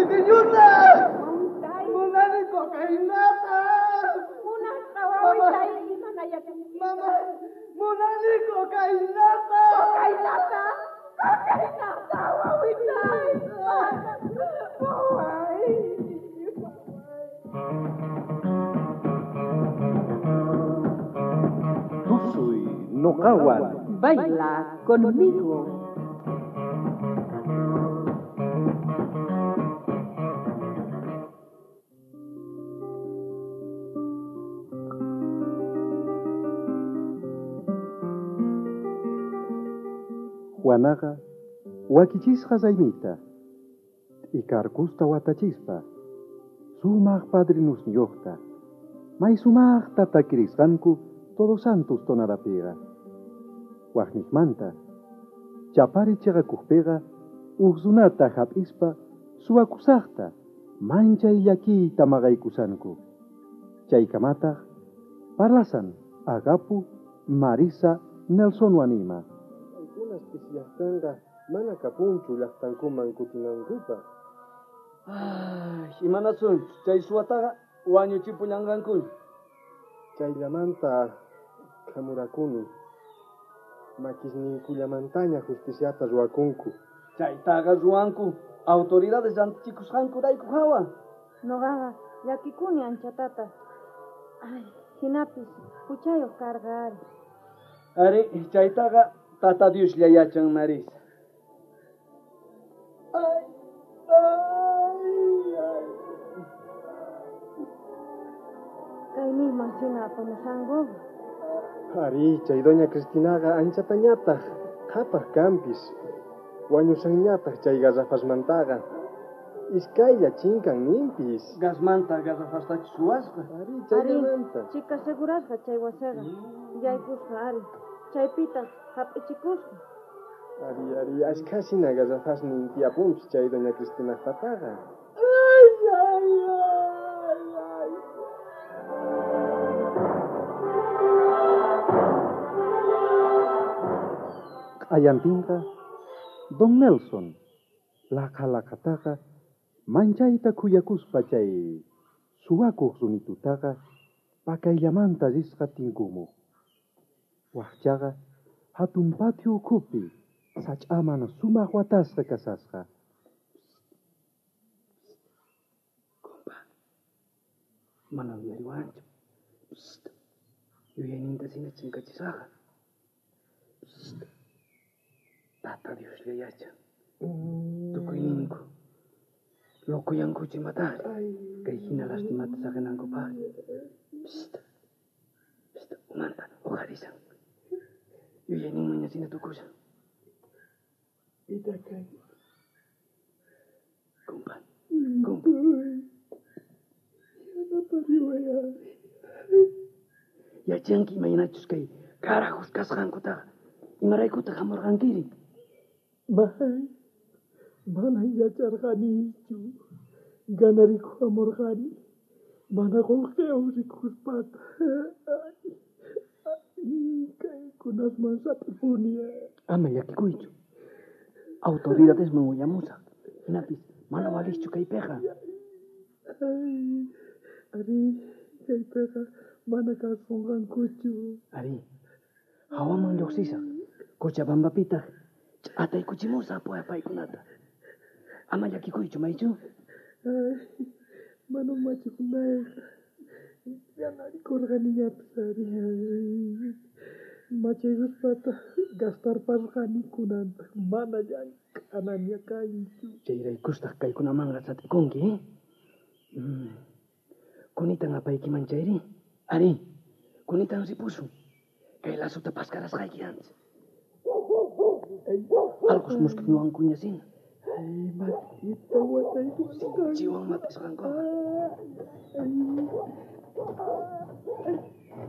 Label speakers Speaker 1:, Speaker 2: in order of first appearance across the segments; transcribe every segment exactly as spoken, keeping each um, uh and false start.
Speaker 1: Pitiñuta! Munani cocainata!
Speaker 2: Munasqa wawitay mana yachanki.
Speaker 1: Mama, munani cocainata!
Speaker 2: Cocainata! Cocainata, wawitay! Waway!
Speaker 3: Tusuy noqawan.
Speaker 4: Baila conmigo.
Speaker 3: Juanaqa wakichisqa raymita, t'ikarkusta watachispa, sumaq padrinusniyuqta, may sumaqta takirisqanku Todos Santos tonadapiqa. Waqniqmanta, chapari chiqakuqpiqa uj runata hap'ispa suwakusaqta manchay llakiyta maqaykusanku. Chaykamataq parlasan Agapu, Marisa, Nelsonwan ima.
Speaker 5: Paykunas pisillaqtanqa mana kapunchu llaqtankuman kutinankupaq.
Speaker 1: Ay, imanasunchu chay suwataqa wañuchipullanqankuña.
Speaker 5: Chayllamanta khamurakuni. Makisninkullamantaña justiciata ruwakunku.
Speaker 1: Chaytaqa ruwanku autoridades rantichikusqankurayku hawa.
Speaker 2: Noqaqa llakikuni anchatata. Ay, hinapis huchayuq karqa ari.
Speaker 1: Ari, chaytaqa Tata Dioslla yachan, Marisa. Ay, ay, ay.
Speaker 2: Kayninman hina apamusanku.
Speaker 5: Ari, chay doña Cristinaqa anchatañataq qhapaq kanpis. Wañusanñataq chay garrafasmantaqa. Iskaylla chinkan ninpis.
Speaker 1: Gasmanta garrafastachu suwasqa.
Speaker 5: Ari, chayllamanta.
Speaker 2: Chika segurasqa chay wasiqa. Yaykusqa ari. Chaypitaq hap'ichikusqa.
Speaker 5: Ari, ari, ashkhasina garrafasnin tiyapunpis chay doña Cristinaqpataqa.
Speaker 1: Ay, ay, ay, ay.
Speaker 3: Q'ayantinqa Don Nelson laqa laqataqa manchayta khuyakuspa chay suwakuq runitutaqa pakayllamanta risqa tinkumuq. Waqchaqa hatun patio ukhupi sach'aman sumaq watasqa kasasqa.
Speaker 1: Kumpa, mana uyariwanchu. Psst, yuyayninta sina chinkachisaqqa. Psst, Tata Dioslla yachan. Tukuyninku locoyankuchu imatari. Kay hina lastimata saqinankupaq. Psst, psst, umanta uqharisan. Yuyayninmanña sina tukushan.
Speaker 5: Pitaq kanki?
Speaker 1: Kumpa, kumpa.
Speaker 5: Yanapariway ari.
Speaker 1: Yachanki imaynachus kay carajos kasqankutaqa. Imaraykutaq hamurqankiri?
Speaker 6: May, manan yacharqanichu. Ganarikuq hamurqani. Mana qullqiwan rikuspata. Ay, ay, kaykunasman sat'ipuni.
Speaker 1: Ama llakikuychu. Autoridadesman willamusaq. Hinapis mana walischu kaypiqa.
Speaker 6: Ay, ari, kaypiqa mana kasunqankuchu.
Speaker 1: Ari, hawaman lluqsisaq. Cochabambapitaq ch'ataykuchimusaq paykunata. Ama llakikuychu, maychu.
Speaker 6: Ay, mana machikunayqa. Ganarikurqaniñapis ari. Machaykuspataq gastarparqani kunantaq mana llank'anaña kanchu.
Speaker 1: Chayraykustaq kaykunamanqa sat'ikunki, eh? Mm. Kunitan apaykiman chayri? Ari, kunitan ripusun. Kay lasuta paskarasqayki antes. Alqos musk'ñuwankuña sina.
Speaker 6: Ay, mat'ita wataykusqanku.
Speaker 1: Sinchiwan mat'isqankuqa.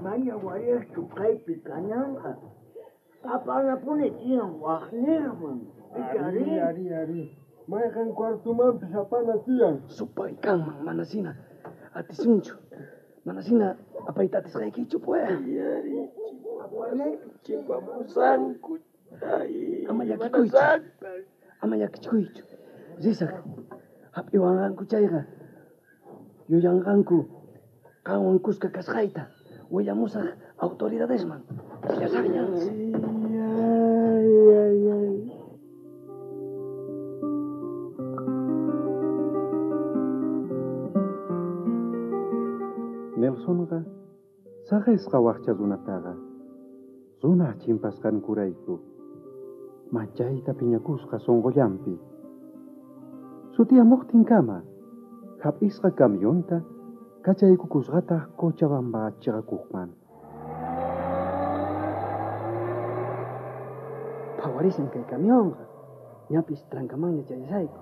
Speaker 7: Maña walejchu kaypi kananqa. Apanapuni tiyan waqnirman.
Speaker 5: Ari, ari, ari. Mayqan cuartumanpis apana tiyan.
Speaker 1: Supay kanman manasina atisunchu. Manasina apayta atisqaykichu pues.
Speaker 7: Ari, chimpamusanku. Chimpamusanku. Ay,
Speaker 1: Ama llakikuychu. Ama llakichikuychu. Risaq. Hap'iwanqanku chayqa. Yuyanqanku qanwan kuska kasqayta. Willamusaq autoridadesman. Willasaqña.
Speaker 6: Ay, ay, ay.
Speaker 3: Nelsonqa saqesqa waqcha runataqa runa chimpasqankurayku manchayta phiñakusqa sunqullanpi. Sutiyamuqtinkama hap'isqa camionta kachaykukusqataq Cochabamba chiqakuqman.
Speaker 1: Phawarisan kay camionqa. Ñapis trankamanña chayasayku.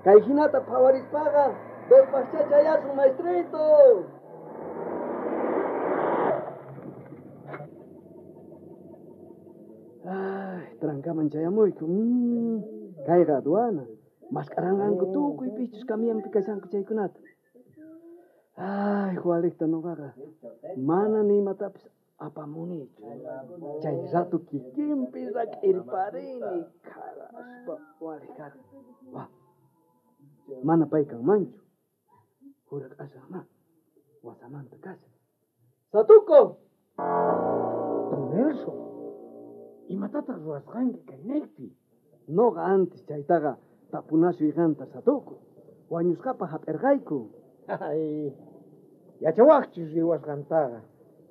Speaker 1: Kay hinata phawarispaqa dos paqcha chayasun, maestrito. Ay, trankaman chayamuyku. Mm, kayqa aduana. Mask'aranqanku tukuy pichus camionpi kashanku chaykunata. Ay, Jualikta noqaqa mana ni imatapis apamunichu. Chay rato kikinpi rak'irparini kharaspa waliq karqa. Wa, mana pay kanmanchu. Jurak'asaqma wasamanta kashan. ¡Satuco!
Speaker 7: Don Nelson, imatataq ruwasqanki kaynaypi?
Speaker 1: Noqa antes chaytaqa tapunasuyqanta Satuco. Wañusqapaq hap'irqayku.
Speaker 7: Ay, yachawaqchus riwasqantaqa.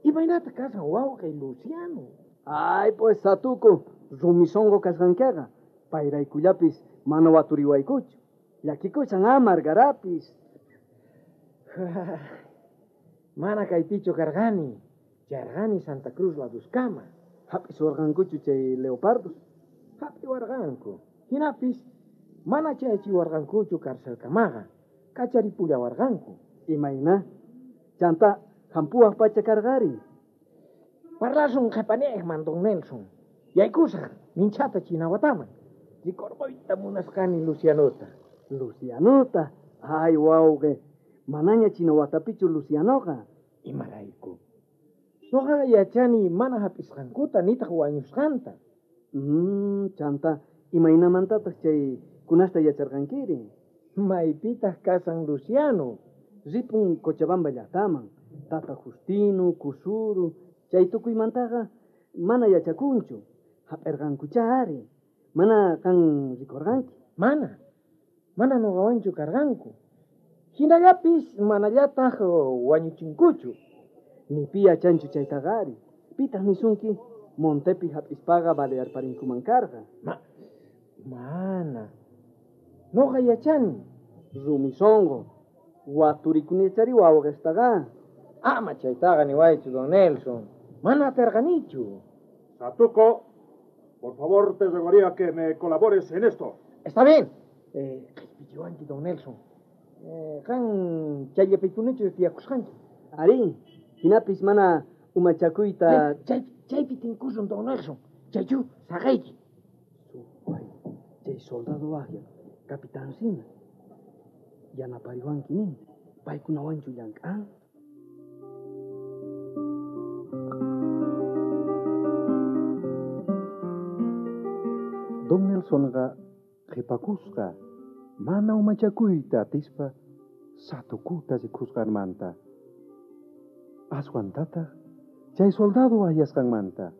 Speaker 7: Imaynata kasan wawqay Luciano?
Speaker 1: Ay, pues Satuco, rumi sunqu kasqankiqa. Payraykullapis mana waturiwaykuchu. Llakikushan amargarapis.
Speaker 7: Mana kaypichu karqani. Charqani Santa Cruz laduskama.
Speaker 1: Hap'isuwarqankuchu chay leopardos?
Speaker 7: Hap'iwarqanku. Hinapis mana chayachiwarqankuchu carcelkamaqa. Kacharipullawarqanku.
Speaker 1: Imayna? Chanta hampuwaq pacha karqari.
Speaker 7: Parlasun qhipaniqman, don Nelson. Yaykusaq minchata Chinawataman. Rikurquyta munasqani Lucianota.
Speaker 1: Lucianota? Ay, wawqi. Manaña Chinawatapichu Lucianoqa.
Speaker 7: Imarayku? Noqaqa yachani mana hap'isqankuta nitaq wañusqanta.
Speaker 1: Mm, chanta, imaynamantataq chay kunasta yacharqankiri?
Speaker 7: Maypitaq kasan Luciano?
Speaker 1: Ripun Cochabamba llaqtaman. Tata Justino, Kusuru, chay tukuymantaqa mana yachakunchu. Hap'irqankucha ari. Mana qan rikurqanki?
Speaker 7: Mana. Mana nuqawanchu karqanku. Hinallapis manallataq wañuchinkuchu.
Speaker 1: Ni pi yachanchu chaytaqa ari. Pitaq nisunki montepi hap'ispaqa balearparinkuman karqa.
Speaker 7: Ma, mana. Nuqa yachani.
Speaker 1: Rumi sunqu. Waturikunichari wawqistaqa.
Speaker 7: Ama chaytaqa niwaychu, don Nelson. Mana aterqanichu.
Speaker 8: Satuco, por favor te rogaría que me colabores en esto.
Speaker 7: Está bien. Eh, qhispichiwanki, don Nelson. Eh, qan chayllapikunichu tiyakusqanki.
Speaker 1: Ari, hinapis mana umachakuyta...
Speaker 7: Chay, chaypi tinkusun, don Nelson. Chaychu, saqayki.
Speaker 1: Supay, chay soldado waqya, capitán sina. Yanapariwanki nin, paykunawanchu llank'an.
Speaker 3: Don Nelsonqa qhipakusqa mana umachakuyta atispa Satukuta rikusqanmanta. Aswantataq chay soldado ayasqanmanta.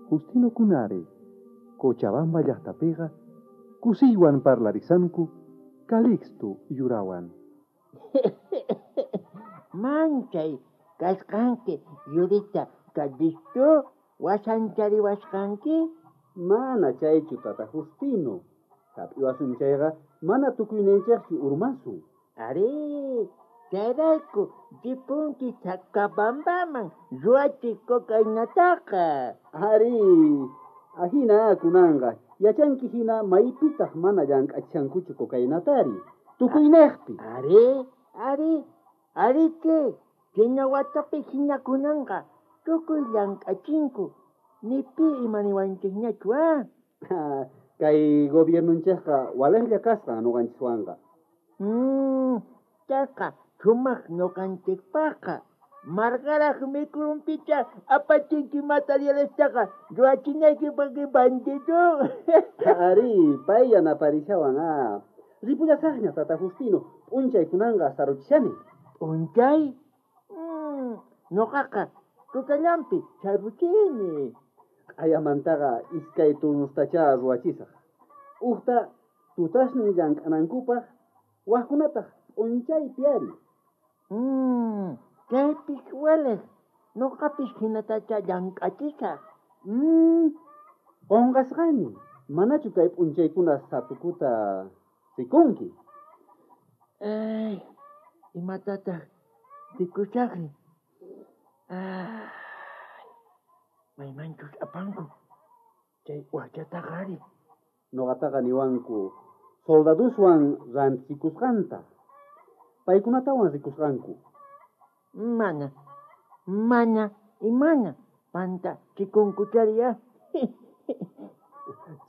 Speaker 3: Justino Kunari, Cochabamba llaqtapiqa kusiywan parlarisanku Calixto yurawan.
Speaker 9: Manchay kasqanki yurita Calixto wasanchariwasqanki?
Speaker 3: Mana chaychu tata Justino. Hap'iwasun chayqa mana tukuyninchikchu urmasun.
Speaker 9: Ari, chayrayku ripunki Sacabambaman ruwachi cocainataqa.
Speaker 3: Ari, ahina kunanqa yachanki hina maypitaq mana llank'achankuchu cocainatari. Tukuynejpi.
Speaker 9: Ari, ari, arike, Chinawatapi hina kunanqa tukuy llank'achinku. Ni pi imaniwanchikñachu, ah?
Speaker 3: Kay gobiernonchikqa waliqlla kasqa nuqanchiswanqa.
Speaker 9: Mm, chayqa sumaq nuqanchikpaqqa. Margaraj mikrumpicha apachinki materialestaqa ruwachinaykipaqmi bandido.
Speaker 3: Ari, pay yanaparishawan ah. Ripullasaqña tata Justino, p'unchay kunanqa saruchishani.
Speaker 9: P'unchay? Mm, ñuqaqa tutallanpi saruchini.
Speaker 3: Q'ayamantaqa iskay turnustachá ruwachisaq. Ujta tutasnin llank'anankupaq, wajkunataq p'unchaypi ari.
Speaker 9: Mm, chaypis waliq, ñuqapis hinatacha llank'achisaq.
Speaker 3: Mm, qunqasqani, manachu kay p'unchaykuna satukuta rikunki?
Speaker 9: Ay, imatataq rikusaqri? Ay, maymanchus apanku chay wachataqa ari.
Speaker 3: Ñuqataqa niwanku soldaduswan rantikusqanta, paykunatawan rikusqanku.
Speaker 9: Mana, mana, imana, panta chikunkuchari ah.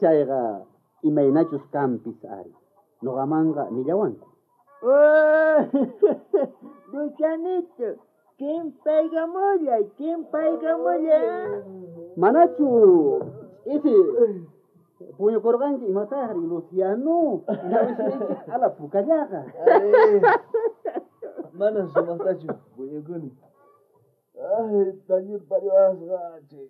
Speaker 3: Chayqa imaynachus kanpis ari. Ñuqamanqa nillawanku.
Speaker 9: Oh, Lucianito, chimpaykamullay, chimpaykamullay.
Speaker 3: Manachu isi puñukurqanki imataqri, Luciano? Ñawisniyki ala pukallaqa.
Speaker 6: Mana sumaqtachu puñukuni. Ay, tañir pariwasqa chay.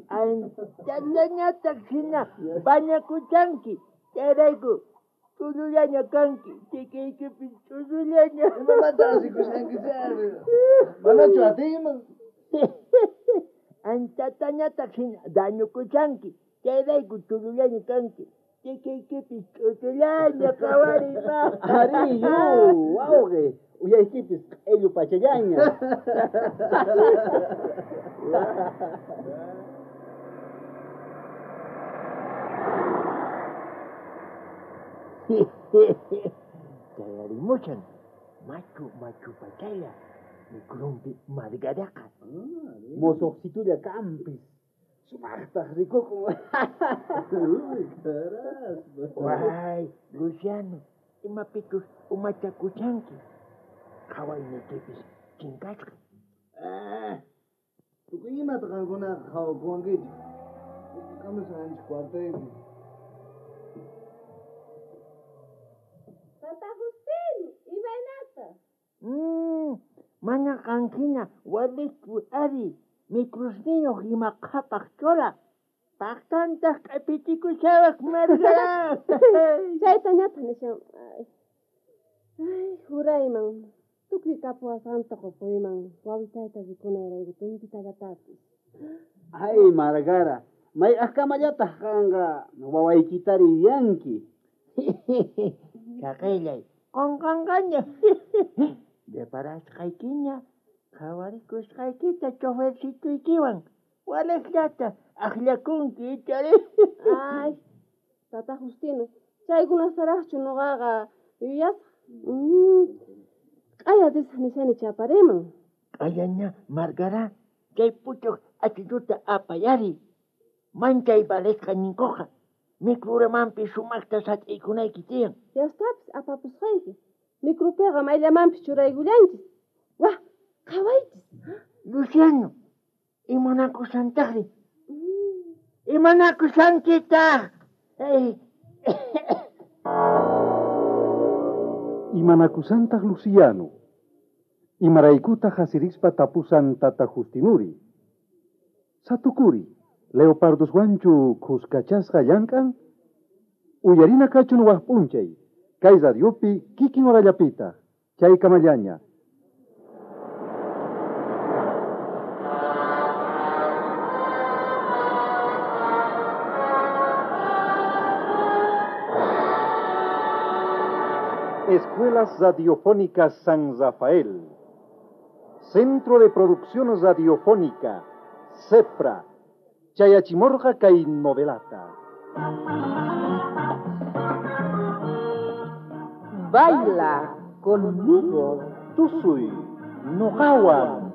Speaker 9: Anchallañataq hina bañakuchanki, chayrayku ch'ullullaña kanki, chikiykipis ch'ullullaña.
Speaker 6: Imamanta asikushanki chayri? Manachu atiyman?
Speaker 9: Anchatañataq hina dañukuchanki, chayrayku ch'ullullaña kanki, chikiykipis ch'ullullaña qhawariy ma.
Speaker 3: Ari, yu, wawqi, uyaykipis q'illu pachallaña.
Speaker 9: Chayarimushan machu machu pachalla mikrumpi Margaraqa.
Speaker 3: Mosoqsitulla kanpis, sumaqtaq rikukun.
Speaker 9: Way, Luciano, imapichus umachakuchanki? Qhawayniykipis chinkasqa.
Speaker 6: Ah, tukuy imata qankunaqa qhawakuwankichik. Kamusqanchik cuartaypi.
Speaker 2: Tata Justino, imaynata?
Speaker 9: Mm, mana qanhina walichu ari, mikrusniyuq ima qhapaq chola. Paqtantaq q'ipitikusawaq Margara.
Speaker 2: Chaytañataq nishan. Ay, ay, jurayman, tukuy kapuwasqanta qupuyman, wawitayta rikunayrayku tumpitatatapis.
Speaker 3: Ay, Margara, mayk'aqkamallataq qanqa wawaykitari yuyanki?
Speaker 9: Chaqillay, qunqanqaña. Reparasqaykiña, qhawarikusqaykita chofercituykiwan, waliqllata akllakunki ichari.
Speaker 2: Ay, tata Justino, chaykunastaraqchu ñuqaqa yuyasaq? Mm, q'aya risaq nishani chapariman.
Speaker 9: Q'ayaña, Margara, chay puchuq achituta apayari. Manchay valesqa ninkuqa, mikruramanpis sumaqta sat'iykunayki tiyan.
Speaker 2: Yastapis apapusqayki. Mikrupiqa mayllamanpis churaykullanchis. Wah, qhawaychis.
Speaker 9: Luciano, imanakusantaqri? Imanakusankitaq?
Speaker 8: Imanakusantaq Luciano? Imaraykutaq asirispa tapusan tata Justinuri? Satukuri, leoparduswanchu khuskachasqa llank'an? Uyarina kachun waj p'unchay, kay radiopi kikin horallapitaq, chaykamallaña. Escuelas Radiofónicas San Rafael, Centro de Producción Radiofónica, CEPRA, Chayachimorja kay novelata.
Speaker 4: Baila conmigo.
Speaker 8: Tusuy, noqawan.